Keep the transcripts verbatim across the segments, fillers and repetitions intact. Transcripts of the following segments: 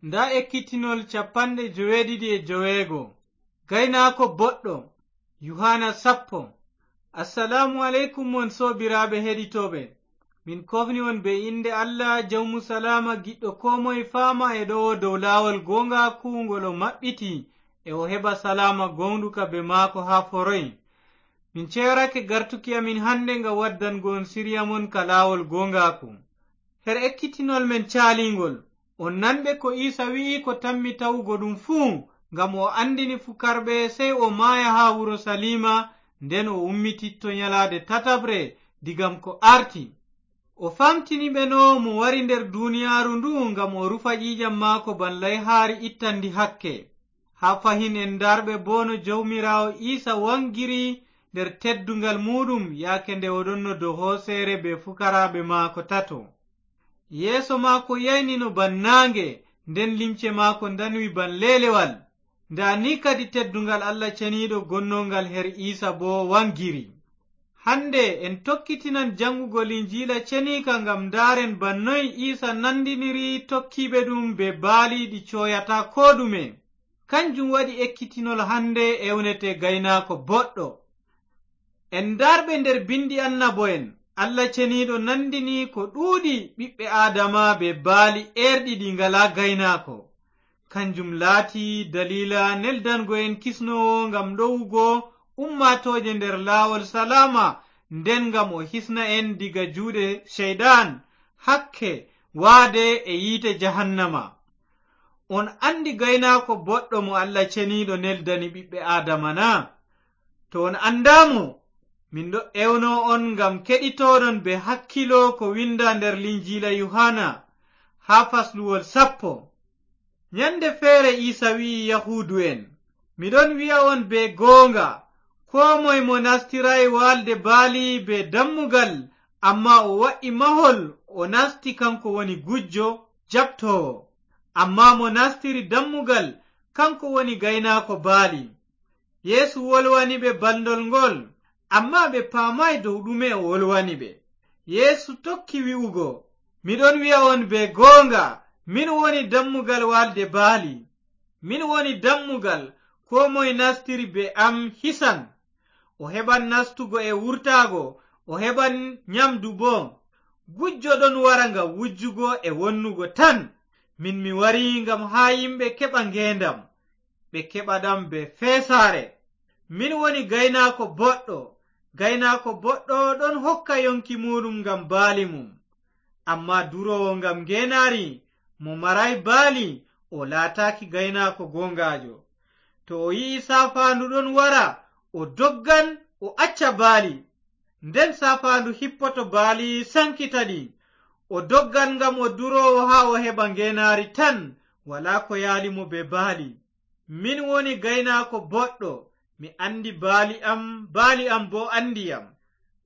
Ndaa ekkitinol capanɗe joweeɗiɗi e joweego. Gaynaako boɗɗo. Yuhaana sappo. Assalaamu aleykum, mon soobiraaɓe heɗitooɓe. Min koofni on bee innde Allah, Jawmu salaama, giɗɗo koo moye faama e ɗowo dow laawol gooŋgaaku ngol o maɓɓiti, e o heɓa salaama gooŋɗuka bee maako haa foroy. Min ceerake gartuki amin hannde ngam waddango on siriya mon ka laawol gooŋgaaku. Her ekkitinol men caaliiŋgol, on nanɓe ko Iisa wi'i ko tammi tawugo ɗum fuu, ngam o anndini fukarɓe sey o maaya haa Urusaliima, nden o ummititto nyalaade tataɓre diga ko aarti. O faamtini ɓe no mo wari nder duniyaaru ndu ngam o rufa ƴiiƴam maako ban layhaari ittanndi hakke. Haa fahin en ndaarɓe boo no Jawmiraawo Iisa waŋgiri nder tedduŋgal muuɗum yaake nde o ɗonno dow hooseere bee fukaraaɓe maako tato. Yeeso maako yaynino ban naaŋge, nden limce maako ndanwi ban leelewal. Ndaa ni kadi tedduŋgal Allah ceniiɗo gonnoŋgal her Iisa boo waŋgiri. Hannde en tokkitinan jaŋgugo Linjiila ceniika ngam ndaaren ban noy Iisa nandiniri tokkiiɓe ɗum bee baali ɗi cooyataa koo ɗume. Kanjum waɗi ekkitinol hannde ewnete gaynaako boɗɗo. En ndaarɓe nder binndi annabo'en, Allah ceniiɗo nandini ko ɗuuɗi ɓiɓɓe Aadama bee baali eerɗi ɗi ngalaa gaynaako. Kanjum laati daliila neldango en kisnoowo ngam ɗowugo ummaatooje nder laawol salaama, nden ngam o hisna en diga juuɗe Ceyɗan, hakke, waade e yiite jahannama. On anndi gaynaako boɗɗo mo Allah ceniiɗo neldani ɓiɓɓe Aadama na? To on anndaa mo, min ɗo ewno on ngam keɗitooɗon bee hakkilo ko winnda nder Linjiila Yuhaana, haa fasluwol sappo. Nyannde feere Iisa wi'i Yahuudu'en, "Mi ɗon wi'a on bee gooŋga, koo moy mo nastiraay waalde baali bee dammugal, ammaa o wa'i mahol, o nasti, kaŋko woni gujjo, jaɓtoowo. Ammaa mo nastiri dammugal, kaŋko woni gaynaako baali." Yeesu wolwani ɓe balndol ngol, ammaa ɓe paamaay dow ɗume o wolwani ɓe. Yeesu tokki wi'ugo, "Mi ɗon wi'a on bee gooŋga, min woni dammugal waalde baali. Min woni dammugal, koo moy nastiri bee am hisan. O heɓan nastugo e wurtaago, o heɓan nyamdu boo. Gujjo ɗon wara ngam wujjugo e wonnugo tan. Min mi wari ngam haa yimɓe keɓa ngeendam, ɓe keɓa ɗam bee feesaare. Min woni gaynaako boɗɗo. Gaynaako boɗɗo ɗon hokka yonki muuɗum ngam baali mum. Ammaa duroowo ngam ngeenaari, mo maraay baali, o laataaki gaynaako gooŋgaajo. To o yi'i saafaandu ɗon wara, o doggan, o acca baali. Nden saafaandu hippoto baali, saŋkita ɗi. O doggan ngam o duroowo haa o heɓa ngeenaari tan, walaa ko yaali mo bee baali. Min woni gaynaako boɗɗo, mi anndi baali am, baali am boo anndi yam.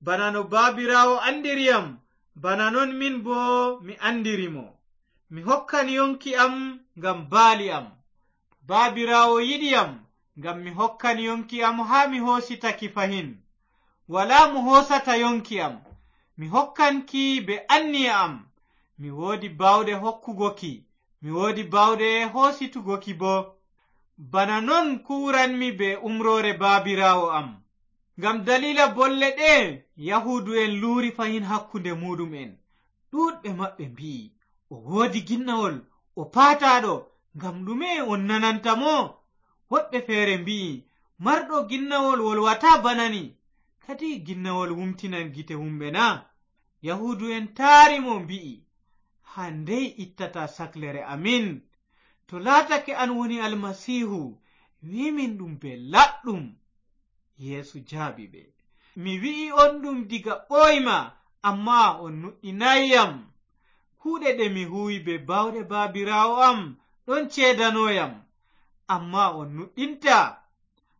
Bana no Baabiraawo anndiri yam, bana non min boo mi anndiri mo. Mi hokkan yonki am ngam baali am. Baabiraawo yiɗi yam, ngam mi hokkan yonki am haa mi hoosita ki fahin. Walaa mo hoosata yonki am. Mi hokkan ki bee anniya am. Mi woodi baawɗe hokkugo ki. Mi woodi baawɗe hoositugo ki boo. Bana non kuuwranmi bee umroore Baabiraawo am." Ngam daliila bolle ɗe'e, Yahuudu'en luuri fahin hakkunde muuɗum'en. Ɗuuɗɓe maɓɓe mbi'i, "O woodi ginnawol, o paataaɗo, ngam ɗume on nananta mo?" Woɗɓe feere mbi'i, "Marɗo ginnawol wolwataa bana ni. Kadi ginnawol wumtinan gite wumɓe na?" Yahuudu'en taari mo mbi'i, "Haa ndey ittata saklere amin? To laatake an woni Almasiihu, wi' min ɗum bee laaɓɗum." Yeesu jaabi ɓe, "Mi wi'i on ɗum diga ɓooyma, ammaa on nuɗɗinaay yam. Kuuɗe ɗe mi huuwi bee baawɗe Baabiraawo am ɗon ceedano yam, ammaa on nuɗɗintaa,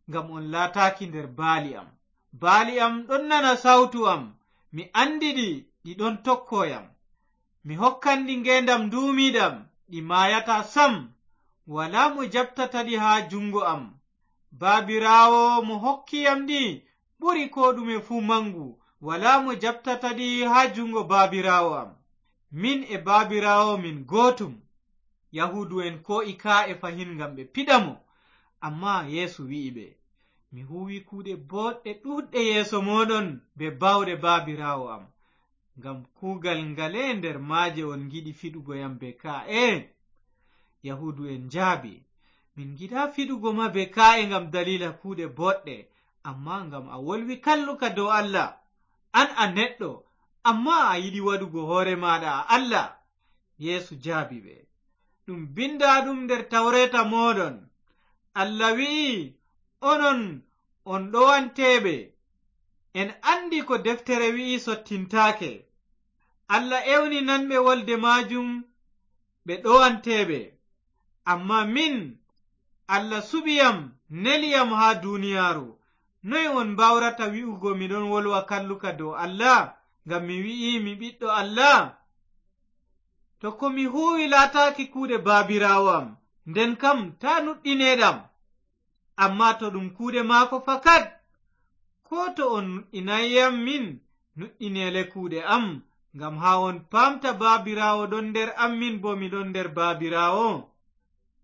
ngam on laataaki nder baali am. Baali am ɗon nana sawtu am, mi anndi ɗi, ɗi ɗon tokko yam. Mi hokkan ɗi ngeendam nduumiiɗam, ɗi maayataa sam. Walaa mo jaɓtata ɗi haa juŋngo am. Baabiraawo mo hokki yam ɗi ɓuri koo ɗume fuu maŋgu. Walaa mo jaɓtata ɗi haa juŋngo Baabiraawo am. Min e Baabiraawo min gootum." Yahuudu'en koo'i kaa'e fahin ngam ɓe piɗa mo. Ammaa Yeesu wi'i ɓe, "Mi huuwi kuuɗe booɗɗe ɗuuɗɗe yeeso mooɗon bee baawɗe Baabiraawo am. Ngam kuugal ngale nder maaje on ngiɗi fiɗugo yam bee kaa'e?" Yahuudu'en njaabi, "Min ngiɗaa fiɗugo ma bee kaa'e ngam daliila kuuɗe booɗɗe, ammaa ngam a wolwi kalluka dow Allah. An a neɗɗo, ammaa a yiɗi waɗugo hoore maaɗa a Allah." Yeesu jaabi ɓe, "Ɗum binndaaɗum nder tawreeta mooɗon. Allah wi'i, 'Onon on ɗowanteeɓe.' En anndi ko deftere wi'i sottintaake. Allah ewni nanɓe wolde maajum ɓe ɗowanteeɓe. Ammaa min, Allah suɓi yam, neli yam haa duniyaaru. Noy on mbaawrata wi'ugo mi ɗon wolwa kalluka dow Allah, ngam mi wi'i mi ɓiɗɗo Allah? To ko mi huuwi laataaki kuuɗe Baabiraawo am, nden kam taa nuɗɗineeɗam. Ammaa to ɗum kuuɗe maako fakat, koo to on nuɗɗinaay yam min, nuɗɗineele kuuɗe am, ngam haa on paamta Baabiraawo ɗon nder am, min boo mi ɗon nder Baabiraawo."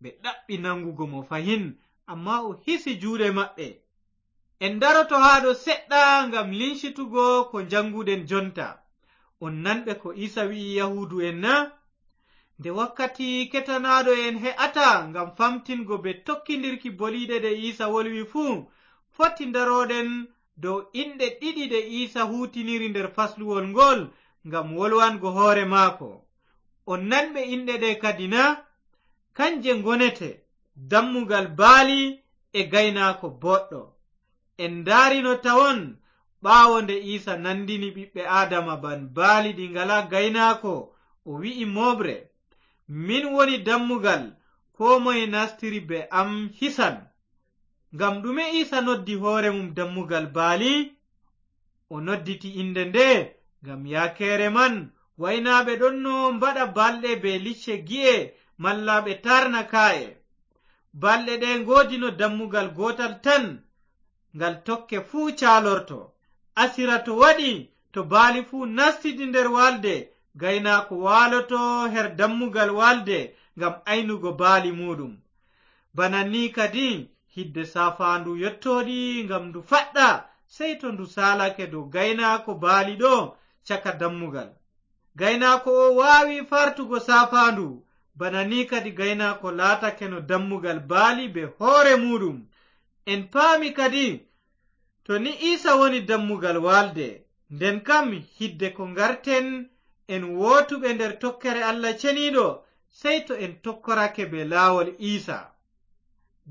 Ɓe ɗaɓɓi naŋgugo mo fahin, ammaa o hisi juuɗe maɓɓe. En ndaroto haa ɗo seɗɗa ngam lincitugo ko njaŋguɗen jonta. On nanɓe ko Iisa wi'i Yahuudu'en na? Nde wakkati ketanaaɗo en he'ata ngam famtingo bee tokkindirki boliiɗe ɗe Iisa wolwi fuu, foti ndaroɗen dow inɗe ɗiɗi ɗe Iisa huutiniri nder fasluwol ngool ngam wolwango hoore maako. On nanɓe inɗe ɗe kadi na? Kanje ngonete dammugal baali e gaynaako boɗɗo. En ndaarino tawon, ɓaawo nde Iisa nandini ɓiɓɓe Aadama ban baali ɗi ngalaa gaynaako, o wi'i mooɓre, "Min woni dammugal, koo moye nastiri bee am hisan." Ngam ɗume Iisa noddi hoore mum dammugal baali? O nodditi innde nde ngam yaakeere man waynaaɓe ɗonno mbaɗa balɗe bee licce gi'e malla ɓe taarna kaa'e. Balɗe ɗe ngoodino dammugal gootal tan, ngal tokke fuu caalorto. Asira to waɗi, to baali fuu nastidi nder walde, gaynaako waaloto her dammugal walde ngam aynugo baali muuɗum. Bana ni kadi, hidde saafaandu yottooɗi ngam ndu faɗɗa, sey to ndu saalake dow gaynaako baali ɗo caka dammugal. Gaynaako o waawi fartugo saafaandu, bana ni kadi gaynaako laatakeno dammugal baali bee hoore muuɗum. En paami kadi, to ni Iisa woni dammugal walde, nden kam hidde ko ngarten en wootuɓe nder tokkere Allah Ceniiɗo, sey to en tokkorake bee laawol Iisa.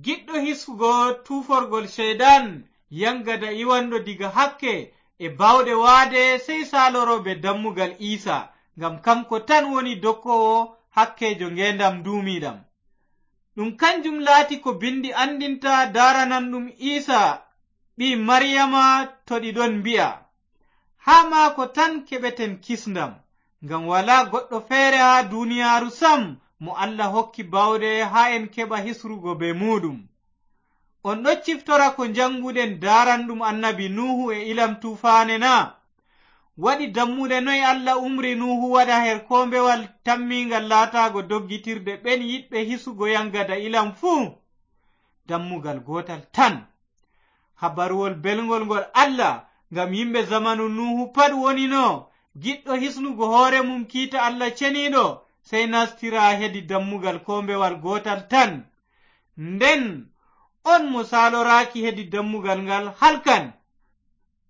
Giɗɗo hiskugo tuuforgol Ceyɗan, yaŋgada iwanɗo diga hakke e baawɗe waade, sey saaloro bee dammugal Iisa, ngam kaŋko tan woni dokkoowo hakkeejo ngeendam nduumiiɗam. Ɗum kanjum laati ko Binndi anndinta daarananɗum Iisa ɓii Mariyama, to ɗi ɗon mbi'a, "Haa maako tan keɓeten kisndam, ngam walaa goɗɗo feere haa duniyaaru sam mo Allah hokki baawɗe haa en keɓa hisrugo bee muuɗum." On ɗon ciftora ko njaŋnguɗen daaranɗum annabi Nuuhu e ilam tuufaane na? Waɗi dammuɗe noy Allah umri Nuuhu waɗa her koombewal tammiingal laataago doggitirde ɓen yiɗɓe hisugo yaŋgada ilam fuu? Dammugal gootal tan. Habaruwol belŋgol ngol Allah ngam yimɓe zamanu Nuuhu pat wonino, giɗɗo hisnugo hoore mum kiita Allah Ceniiɗo, sey nastira hedi dammugal koombewal gootal tan. Nden on mo saaloraaki hedi dammugal ngal halkan.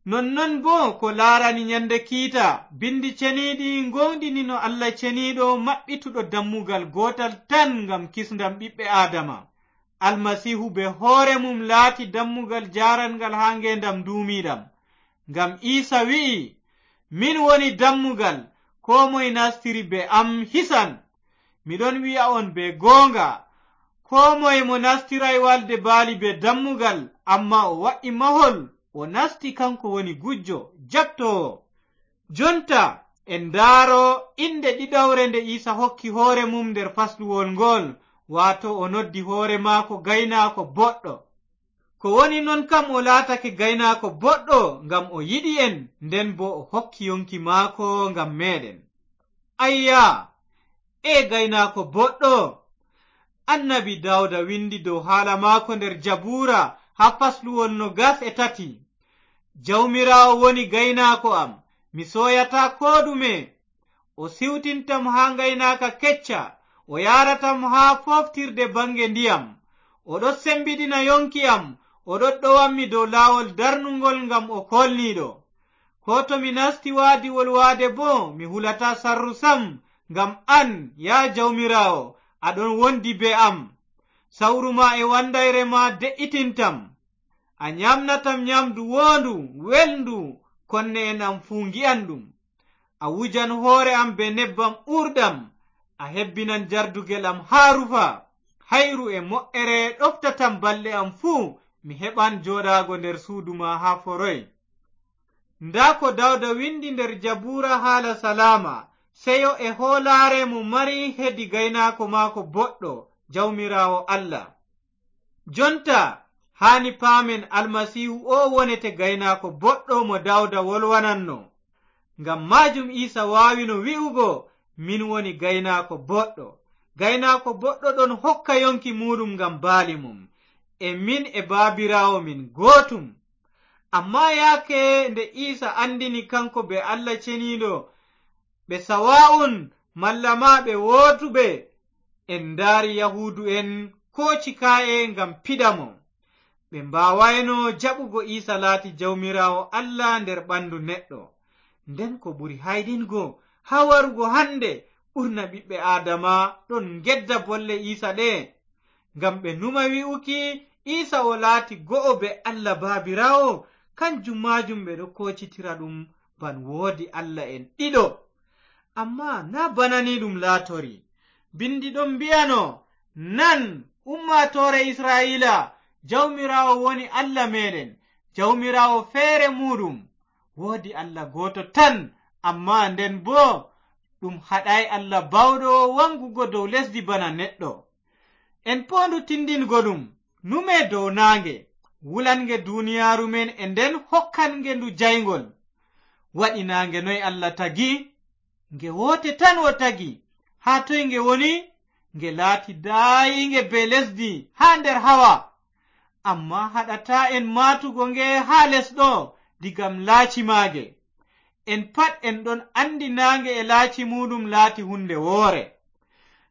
Nonnon boo ko laarani nyande kiita, Binndi Ceniiɗi ngooŋɗini no Allah Ceniiɗo maɓɓituɗo dammugal gootal tan ngam kisndam ɓiɓɓe Aadama. Almasiihu bee hoore mum laati dammugal jaaranŋgal haa ngeendam nduumiiɗam. Ngam Iisa wi'i, "Min woni dammugal, koo moy nastiri bee am hisan." Mi ɗon wi'a on bee gooŋga, koo moy mo nastiraay walde baali bee dammugal, ammaa o wa'i mahol, o nasti, kaŋko woni gujjo, jaɓtoowo. Jonta, en ndaaro innde ɗiɗawre nde Iisa hokki hoore mum nder fasluwol ngool, waato o noddi hoore maako gaynaako boɗɗo. Ko woni non kam o laatake gaynaako boɗɗo ngam o yiɗi en, nden boo o hokki yonki maako ngam meeɗen. Ayya, ee gaynaako boɗɗo, Annabi Daawda winndi dow haala maako nder Jabuura haa fasluwol noogas e tati. Jawmiraawo woni gaynaako am, mi sooyataa koo ɗume. O siwtintam haa ngaynaaka kecca, o yaaratam haa fooftirde baŋnge ndiyam. O ɗon sembiɗina yoŋki am, o ɗon ɗowammi dow laawol darnuŋgol ngam o koolniiɗo. Koo to mi nasti waadiwol waade boo, mi hulataa sarru sam, ngam an, yaa Jawmiraawo, a ɗon wondi bee am. Sawru ma e wanndayre ma de'itintam. A nyaamnatam nyaamdu woondu, welndu, konne'en am fuu ngi'an ɗum. A wujan hoore am bee nebbam uurɗam, a hebbinan jardugel am haa rufa. Hayru e mo'ere ɗoftatam balɗe am fuu, mi heɓan jooɗaago nder suudu ma haa foroy. Ndaa ko Daawda winndi nder Jabuura haala salaama, seyo e hoolaare mo mari hedi gaynaako maako boɗɗo, Jawmiraawo Allah. Jonta, haani paamen Almasiihu oo wonete gaynaako boɗɗo mo Daawda wolwananno. Ngam maajum Iisa waawino wi'ugo, min woni gaynaako boɗɗo. Gaynaako boɗɗo ɗon hokka yoŋki muuɗum ngam baali mum. E min e Baabiraawo min gootum. Ammaa yaake nde Iisa anndini kaŋko bee Allah Ceniiɗo, ɓe sawaa'un malla maa ɓe wootuɓe, en ndaari Yahuudu'en kooci kaa'e ngam piɗa mo. Ɓe mbaawayno jaɓugo Iisa laati Jawmiraawo Allah nder ɓandu neɗɗo. Nden ko ɓuri hayɗingo, haa warugo hande, ɓurna ɓiɓɓe Aadama ɗon ngedda bolle Iisa ɗe. Ngam ɓe numa wi'uki Iisa o laati go'o bee Allah Baabiraawo, kanjum maajum ɓe ɗo koocitira ɗum ban woodi allah'en ɗiɗo. Ammaa naa bana ni ɗum laatori. Bindi ɗon mbi'ano, nan, ummaatoore Isra'iila, Jawmiraawo woni Allah meeɗen, Jawmiraawo feere muuɗum. Woodi Allah gooto tan, ammaa nden boo ɗum haɗaay Allah Baawɗo waŋgugo dow lesdi bana neɗɗo. En poondu tindingo ɗum, nume dow naange, wulange duniyaaru men e nden hokkange ndu jayŋgol. Waɗi naange noy Allah tagi? Nge woote tan o tagi. Haa toy nge woni? Nge laati daayiinge bee lesdi haa nder hawa. Ammaa haɗataa en maatugo nge haa les ɗo, digam laaci maage. En pat en ɗon anndi naange e laaci muuɗum laati huunde woore.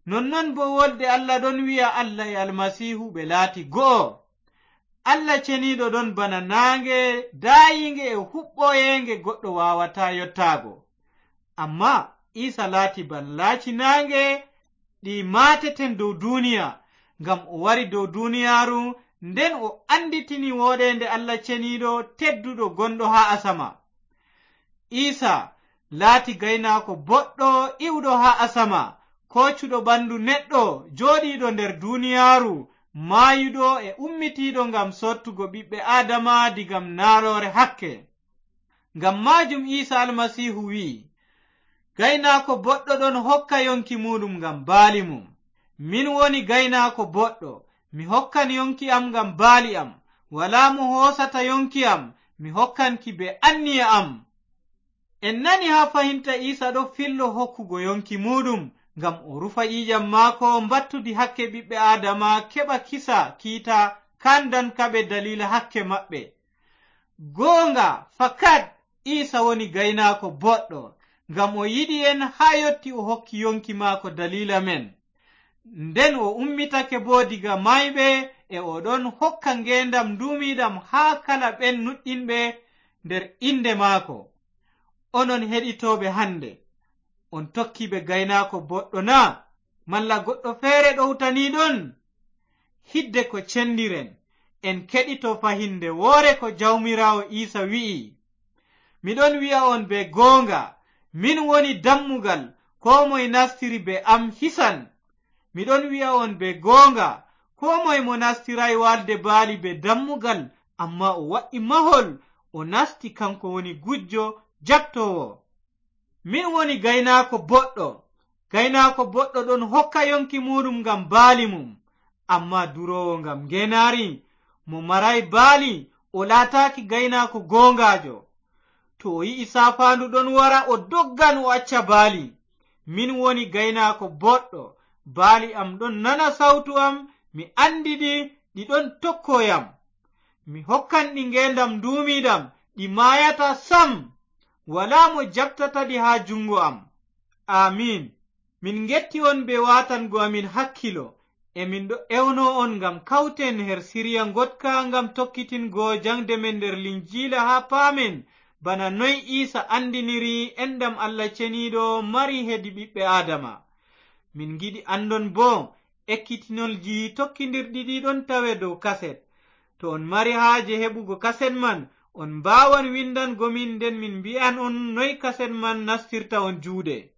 Nonnon boo wolde Allah ɗon wi'a Allah e Almasiihu ɓe laati go'o. Allah ceniiɗo ɗon bana naange daayiinge e huɓɓoyeenge goɗɗo waawataa yottaago. Ammaa Iisa laati ban laaci naange ɗi maateten dow duuniya, ngam o wari dow duuniyaaru, nden o annditini wooɗeende Allah ceniiɗo tedduɗo gonɗo haa asama. Iisa laati gaynaako boɗɗo iwɗo haa asama, koocuɗo ɓandu neɗɗo, jooɗiiɗo nder duuniyaaru, maayuɗo e ummitiiɗo ngam soottugo ɓiɓɓe Aadama digam naaloore hakke. Ngam maajum Iisa Almasiihu wi'i, gaynaako boɗɗo ɗon hokka yonki muuɗum ngam baali mum. Min woni gaynaako boɗɗo, mi hokkan yonki am ngam baali am. Walaa mo hoosata yonki am, mi hokkan ki bee anniya am. En nani haa fahinta Iisa ɗo fillo hokkugo yonki muuɗum, ngam o rufa ƴiiƴam maako mbattudi hakke ɓiɓɓe Aadama keɓa kisa kiita kaandan kaɓe daliila hakke maɓɓe. Goonga, fakat, Iisa woni gaynaako boɗɗo, ngam o yiɗi en haa yotti o hokki yonki maako daliila men. Nden o ummitake boo diga maayɓe, e o ɗon hokka ngeendam nduumiiɗam haa kala ɓen nuɗɗinɓe nder innde maako. Onon heɗitooɓe hannde, on tokkiiɓe gaynaako boɗɗo na? Malla goɗɗo feere ɗowtaniiɗon? Hidde ko cendiren, en keɗito fahinde woore ko Jawmiraawo Iisa wi'i. Mi ɗon wi'a on bee goonga, min woni dammugal, koo moy nastiri bee am hisan. Mi ɗon wi'a on bee goonga, koo moy mo nastiraay waalde baali bee dammugal, ammaa o wa'i mahol, o nasti, kanko woni gujjo jaɓtoowo. Min woni gaynaako boɗɗo. Gaynaako boɗɗo ɗon hokka yonki muuɗum ngam baali mum, ammaa duroowo ngam ngeenaari, mo maraay baali, o laataaki gaynaako gooŋgaajo. To o yi'i saafaandu ɗon wara, o doggan, o acca baali. Min woni gaynaako boɗɗo, Baali am ɗon nana sawtu am, mi anndi ɗi, ɗi ɗon tokko yam. Mi hokkan ɗi ngeendam nduumiiɗam, ɗi maayataa sam. Walaa mo jaɓtata ɗi haa juŋngo am. Aamiin. Min ngetti on bee waatango amin hakkilo. E min ɗo ewno on ngam kawten her siriya ngoɗka ngam tokkitingo jaŋde men nder Linjiila haa paamen bana noy Iisa anndiniri enɗam Allah Ceniiɗo mari hedi ɓiɓɓe Aadama. Min ngiɗi anndon boo ekkitinolji tokkindirɗi ɗi ɗon tawe dow kaset. To on mari haaje heɓugo kaset man, on mbaawan winndango min, nden min mbi'an on noy kaset man nastirta on juuɗe.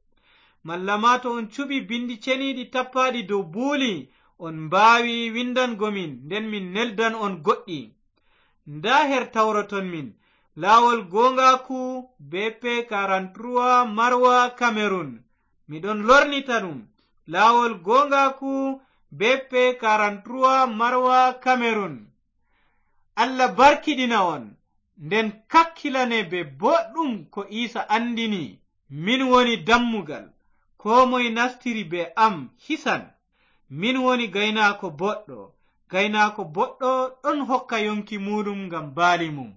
Malla ma to on cuɓi binndi ceniiɗi tappaaɗi dow buuli, on mbaawi winndango min, nden min neldan on goɗɗi. Ndaa her tawroton min, laawol gooŋgaaku B P quarante-trois Marwa Cameroun. Mi ɗon lornita ɗum, laawol gooŋgaaku B P quarante-trois Marwa Cameroun. Allah barkiɗina on, nden kakkilane bee booɗɗum ko Iisa anndini, min woni dammugal, koo moy nastiri bee am hisan. Min woni gaynaako boɗɗo, gaynaako boɗɗo ɗon hokka yonki muuɗum ngam baali mum.